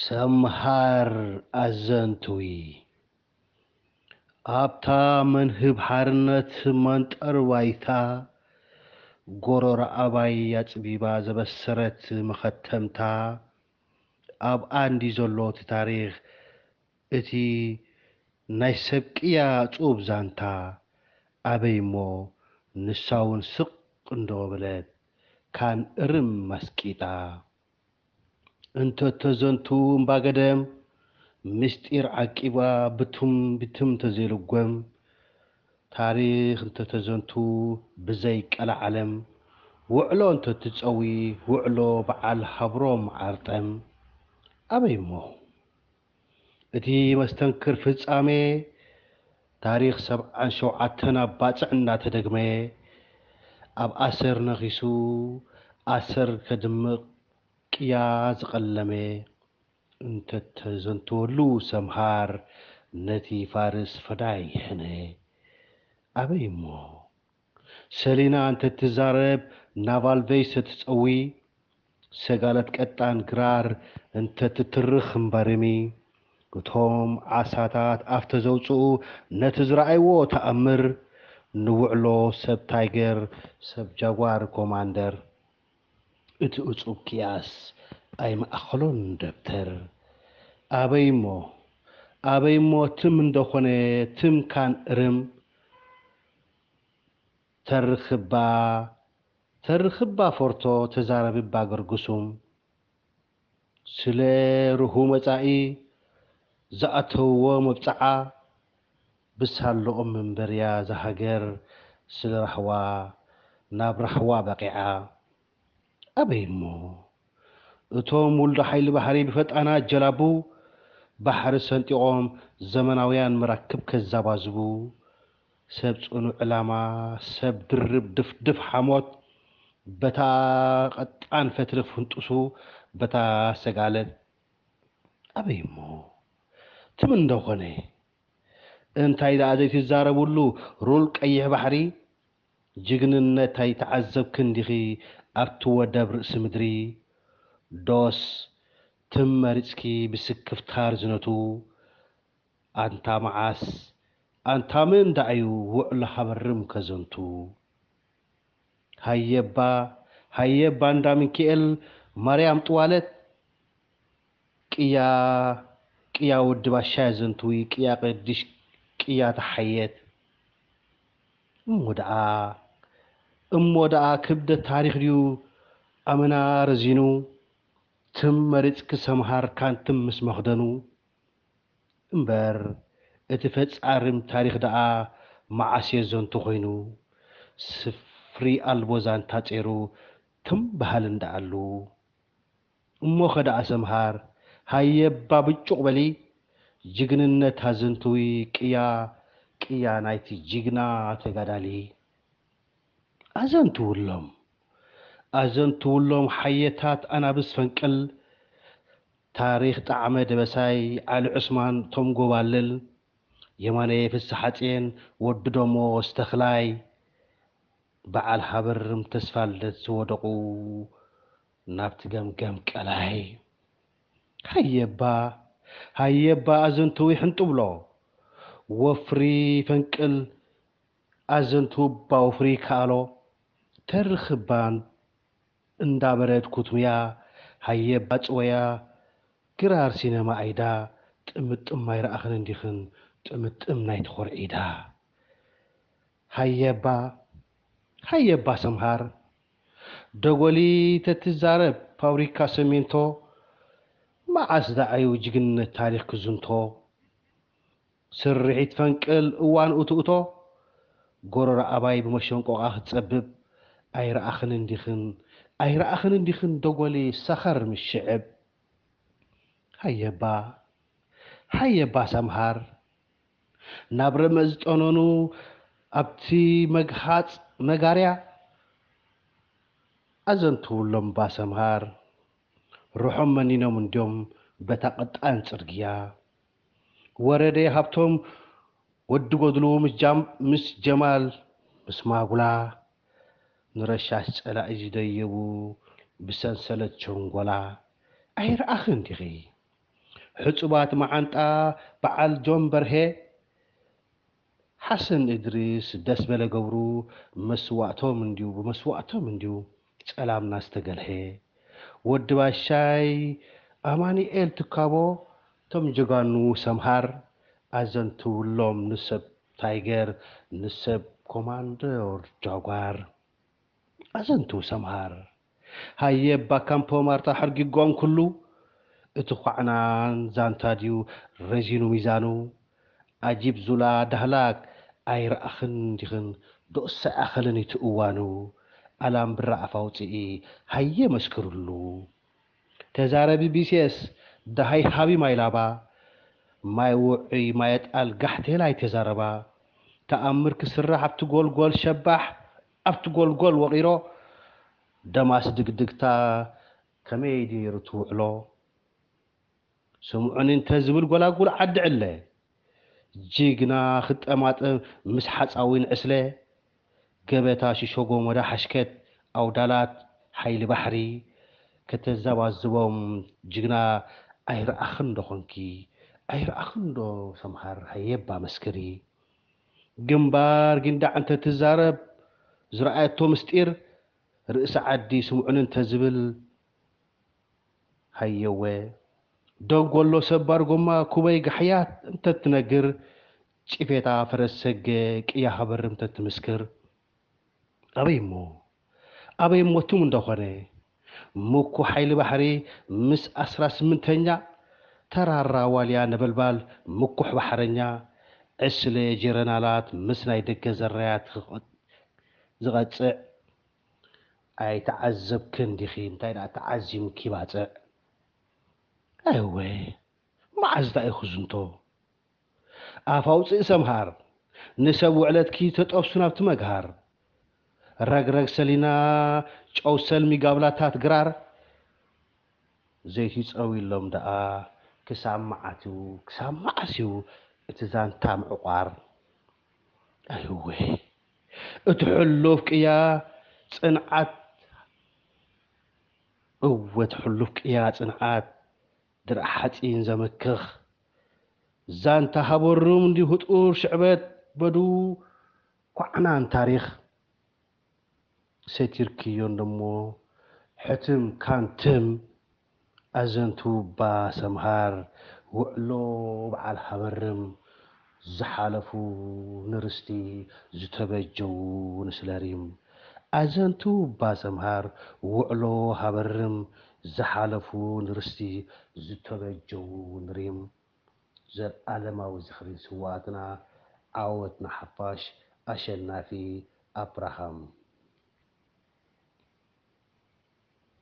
ሰምሃር ኣዘንትዊ ኣብታ መንህብ ሓርነት መንጠር ባይታ ጎሮሮ ኣባይ ኣጽቢባ ዘበሰረት መኸተምታ ኣብኣ እንዲ ዘሎ እቲ ታሪኽ፣ እቲ ናይ ሰብ ቅያ ጹብ ዛንታ ኣበይ እሞ ንሳ እውን ስቕ እንዶ በለት ካን እርም ኣስቂጣ። እንተተዘንቱ እምባገደም ምስጢር ዓቂባ ብትም ብትም ተዘይልጎም ታሪኽ እንተተዘንቱ ብዘይ ቀላዓለም ውዕሎ እንተትጸዊ ውዕሎ በዓል ሃብሮም ዓርጠም ኣበይ እሞ እቲ መስተንክር ፍጻሜ ታሪኽ ሰብዓን ሸውዓተን ኣብ ባጽዕ እናተደግመ ኣብ ኣሰር ነኺሱ ኣሰር ከድምቕ ቅያ ዝቐለመ እንተተዘንተወሉ ሰምሃር ነቲ ፋርስ ፈዳይ ሕነ ኣበይ እሞ ሰሊና እንተትዛረብ ናቫል ቬይስ እትጸዊ ሰጋለት ቀጣን ግራር እንተትትርኽ እምበርሚ እቶም ዓሳታት ኣፍ ተዘውፅኡ ነቲ ዝረኣይዎ ተኣምር ንውዕሎ ሰብ ታይገር ሰብ ጃጓር ኮማንደር እቲ እፁብ ክያስ ኣይመኣኸሎን ደብተር ኣበይ እሞ ኣበይ እሞ ትም እንደኾነ ትም ካን እርም ተርኽባ ተርኽባ ፎርቶ ተዛረብባ ገርግሱም ስለ ርሁ መጻኢ ዝኣተውዎ መብጽዓ ብሳለኦም መንበርያ ዝሃገር ስለ ራህዋ ናብ ራህዋ በቂዓ ኣበይ እሞ እቶም ውልዶ ሓይሊ ባሕሪ ብፈጣና ጀላቡ ባሕሪ ሰንጢቖም ዘመናውያን መራክብ ከዛባዝቡ ሰብ ጽኑዕ ዕላማ ሰብ ድርብ ድፍድፍ ሓሞት በታ ቀጣን ፈትሪ ፍንጡሱ በታ ሰጋለት ኣበይ እሞ ትም እንደኾነ እንታይ ደኣ ዘይትዛረብሉ ሩል ቀይሕ ባሕሪ ጅግንነት ኣይተዓዘብክን ዲኺ ኣብቲ ወደብ ርእሲ ምድሪ ዶስ ትም መሪጽኪ ብስክፍታ ርዝነቱ ኣንታ መዓስ ኣንታ መን ደኣ እዩ ውዕሎ ሃበርም ከዘንቱ ሃየባ ሃየባ እንዳ ሚኪኤል ማርያም ጥዋለት ቅያ ቅያ ወዲ ባሻ ዘንትዊ ቅያ ቅድሽ ቅያ ተሓየት እሞ ደኣ እሞ ደኣ ክብደት ታሪኽ ድዩ ኣመና ረዚኑ ትም መሪጽኪ ሰምሃር ካንትም ምስ መኽደኑ እምበር እቲ ፈጻርም ታሪኽ ደኣ መዓስ የዘንቱ ኮይኑ ስፍሪ ኣልቦ ዛንታ ጼሩ ትም በሃል እንደኣሉ እሞኸ ደኣ ሰምሃር ሃየባ ብጩቕ በሊ ጅግንነት ኣዘንትዊ ቅያ ቅያ ናይቲ ጅግና ተጋዳሊ ኣዘንትውሎም ኣዘንትውሎም ሓየታት ኣናብስ ፈንቅል ታሪኽ ጣዕመ ደበሳይ ዓሊ ዑስማን ቶም ጎባልል የማነ ፍስሓጽየን ወዲ ደሞ ስተኽላይ በዓል ሃበርም ተስፋልደት ዝወደቑ ናብቲ ገምገም ቀላይ ሃየባ ሃየባ ኣዘንትዊ ሕንጥብሎ ወፍሪ ፈንቅል ኣዘንትውባ ወፍሪ ይከኣሎ ተርኽባን እንዳበረድ ኩትምያ ሃየባ ጽወያ ግራር ሲነማ ኣይዳ ጥምጥም ኣይረኣኽን እንዲኽን ጥምጥም ናይቲ ኮርዒዳ ሃየባ ሃየባ ሰምሃር ደጎሊ ተትዛረብ ፋብሪካ ሰሜንቶ መዓስ ደኣዩ ጅግንነት ታሪኽ ክዝንቶ ስርሒት ፈንቅል እዋን እትእቶ ጎረሮ ኣባይ ብመሸንቆቓ ክትጸብብ ኣይረኣኽን እንዲኽን ኣይረኣኽን እንዲኽን ደጎሊ ሰኸር ምሽዕብ ሃየባ ሃየባ ሰምሃር ናብ ረመ ዝጠነኑ ኣብቲ መግሃጽ መጋርያ ኣዘንትውሎም ባሰምሃር ርሖም መኒኖም እንድዮም በታ ቀጣን ጽርግያ ወረደ ሃብቶም ወዲ ጎድሉ ምስ ጀማል ምስ ማጉላ ንረሻሽ ጸላኢ ዝደየቡ ብሰንሰለት ቸንጎላ ኣይረኣኽን ዲኺ ሕጹባት መዓንጣ በዓል ጆን በርሄ፣ ሓሰን እድሪስ፣ ደስበለ ገብሩ፣ መስዋእቶም እንድዩ፣ ብመስዋእቶም እንድዩ ጸላምና ዝተገልሐ። ወዲ ባሻይ፣ ኣማኑኤል ትካቦ፣ እቶም ጀጋኑ ሰምሃር ኣዘንትውሎም፣ ንሰብ ታይገር፣ ንሰብ ኮማንደር ጃጓር። ኣዘንትው ሰምሃር። ሃየ እባ ካምፖ ማርታ ሕርጊጎም ኩሉ፣ እቲ ኳዕናን ዛንታ ድዩ ረዚኑ ሚዛኑ? ኣጂብ ዙላ ዳህላክ ኣይረኣኽን ዲኽን፣ ዶስ ኣይኣኸልን እቲ እዋኑ። ኣላምብራ ኣፍ ኣውፅኢ ሃየ መስክርሉ። ተዛረቢ ቢሴስ፣ ደሃይ ሃቢ ማይ ላባ፣ ማይ ውዑይ ማይ ኣጣል ጋሕቴል ኣይተዛረባ። ተኣምር ክስራሕ ኣብቲ ጎልጎል ሸባሕ፣ ኣብቲ ጎልጎል ወቒሮ፣ ደማስ ድግድግታ ከመይ ድዩ ነይሩ ትውዕሎ? ስምዑኒ እንተዝብል ጎላጉል ዓዲ ዕለ፣ ጅግና ክጠማጠም ምስ ሓፃዊን ዕስለ፣ ገበታ ሽሾጎ ሞዳ ሓሽከት ኣውዳላት ሓይሊ ባሕሪ ከተዛባዝቦም ጅግና ኣይረኣኽን ዶ ኾንኪ? ኣይረኣኽን ዶ ሰምሃር ሃየባ መስክሪ? ግንባር ጊንዳዕ እንተትዛረብ ዝረኣየቶ ምስጢር ርእሲ ዓዲ ስምዑኒ እንተዝብል ሃየወ ደንጎሎ ሰባር ጎማ ኩበይ ጋሕያ እንተትነግር ጭፌታ ፈረስ ሰገ ቅያ ሃበርም እንተትምስክር ኣበይ እሞ ኣበይ እሞ ትም እንደኾነ ምኩ ሓይሊ ባሕሪ ምስ ኣስራ ስምንተኛ ተራራ ዋልያ ነበልባል ምኩሕ ባሕረኛ ዕስለ ጀረናላት ምስ ናይ ደገ ዘራያት ዝቐጽዕ ኣይተዓዘብክን ዲኺ እንታይ ደኣ ተዓዚምኪ ባጽዕ። ኣይወ መዓዝ ደኣ ኢኹ ዝንቶ ኣፍ ኣውፅእ ሰምሃር ንሰብ ውዕለትኪ ተጠብሱ ናብቲ መግሃር ረግረግ ሰሊና ጨው ሰልሚ ጋብላታት ግራር ዘይቲ ጸዊሎም ደኣ ክሳብ መዓት እዩ ክሳብ መዓስ እዩ እቲ ዛንታ ምዕቋር ኣይወ እቲ ሕሉፍ ቅያ ጽንዓት እወ እቲ ሕሉፍ ቅያ ጽንዓት ድርዕ ሓጺን ዘመክኽ ዛንታ ሃበሩም እንዲሁ ጡር ሽዕበት በዱ ኳዕናን ታሪኽ ሰቲርክዮ እንደሞ ሕትም ካንትም ኣዘንቱ እባ ሰምሃር ውዕሎ በዓል ሃበርም ዝሓለፉ ንርስቲ ዝተበጀዉ ንስለሪም ኣዘንቱ እባ ሰምሃር ውዕሎ ሃበርም ዝሓለፉ ንርስቲ ዝተበጀዉ ንሪም ዘልኣለማዊ ዝኽሪ ንስውኣትና ዓወት ንሓፋሽ ኣሸናፊ ኣብርሃም